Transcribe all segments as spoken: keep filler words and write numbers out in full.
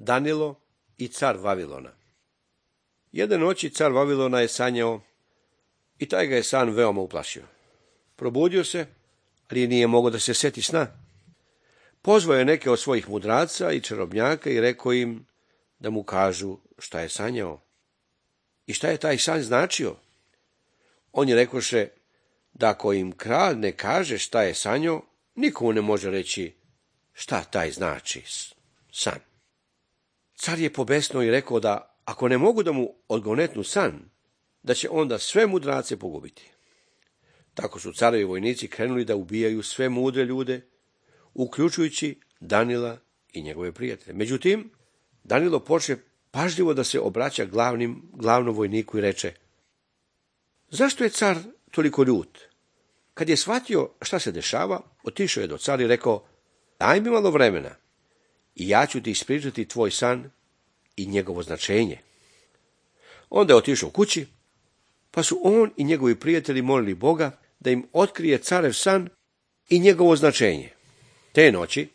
Danilo i car Vavilona. Jedne noći car Vavilona je sanjao i taj ga je san veoma uplašio. Probudio se, ali nije mogao da se seti sna. Pozvao je neke od svojih mudraca i čarobnjaka i rekao im da mu kažu šta je sanjao i šta je taj san značio. Oni rekoše da ako im kralj ne kaže šta je sanjao, nikomu ne može reći šta taj znači san. Car je pobesnuo i rekao da ako ne mogu da mu odgonetnu san, da će onda sve mudrace pogubiti. Tako su carevi vojnici krenuli da ubijaju sve mudre ljude, uključujući Danila i njegove prijatelje. Međutim, Danilo počne pažljivo da se obraća glavnim, glavnom vojniku i reče: zašto je car toliko ljut? Kad je shvatio šta se dešava, otišao je do cara i rekao: daj mi malo vremena i ja ću ti ispričati tvoj san i njegovo značenje. Onda je otišao kući, pa su on i njegovi prijatelji molili Boga da im otkrije carev san i njegovo značenje. Te noći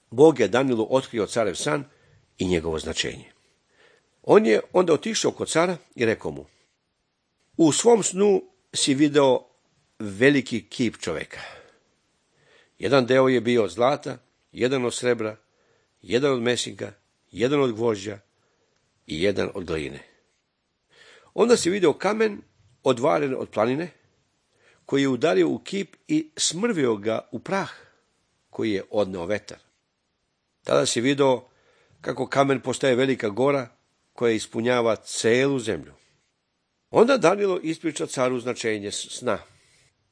Bog je Danilu otkrio carev san i njegovo značenje. On je onda otišao kod cara i rekao mu: u svom snu si video veliki kip čoveka. Jedan deo je bio od zlata, jedan od srebra, jedan od mesinka, jedan od gvožđa i jedan od gline. Onda si video kamen odvaren od planine, koji je udario u kip i smrvio ga u prah, koji je odneo vetar. Tada si video kako kamen postaje velika gora, koja ispunjava celu zemlju. Onda Danilo ispriča caru značenje sna.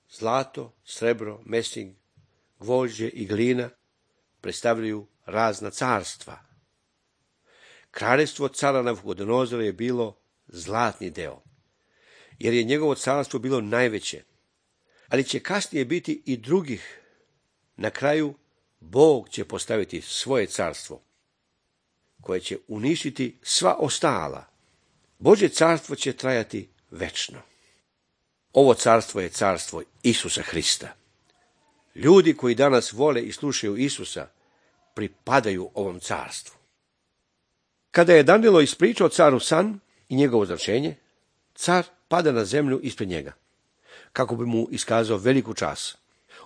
Zlato, srebro, mesing, gvožđe i glina predstavljaju razna carstva. Kraljevstvo cara Navukodonozora je bilo zlatni deo, jer je njegovo carstvo bilo najveće, ali će kasnije biti i drugih. Na kraju Bog će postaviti svoje carstvo, koje će uništiti sva ostala. Božje carstvo će trajati večno. Ovo carstvo je carstvo Isusa Hrista. Ljudi koji danas vole i slušaju Isusa pripadaju ovom carstvu. Kada je Danilo ispričao caru san i njegovo značenje, car pada na zemlju ispred njega, kako bi mu iskazao veliku čast.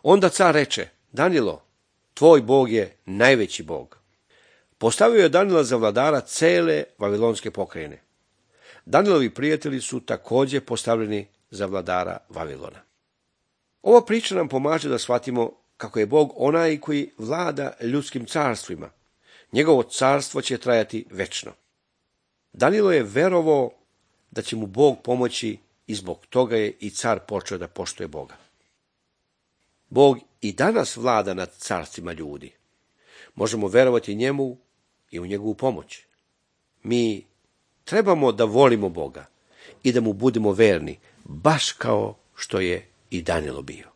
Onda car reče: Danilo, tvoj Bog je najveći Bog. Postavio je Danila za vladara cele vavilonske pokrajine. Danilovi prijatelji su također postavljeni za vladara Vavilona. Ova priča nam pomaže da shvatimo kako je Bog onaj koji vlada ljudskim carstvima. Njegovo carstvo će trajati večno. Danilo je verovao da će mu Bog pomoći i zbog toga je i car počeo da poštuje Boga. Bog i danas vlada nad carstvima ljudi. Možemo verovati njemu i u njegovu pomoć. Mi trebamo da volimo Boga i da mu budemo verni, baš kao što je i Danilo bio.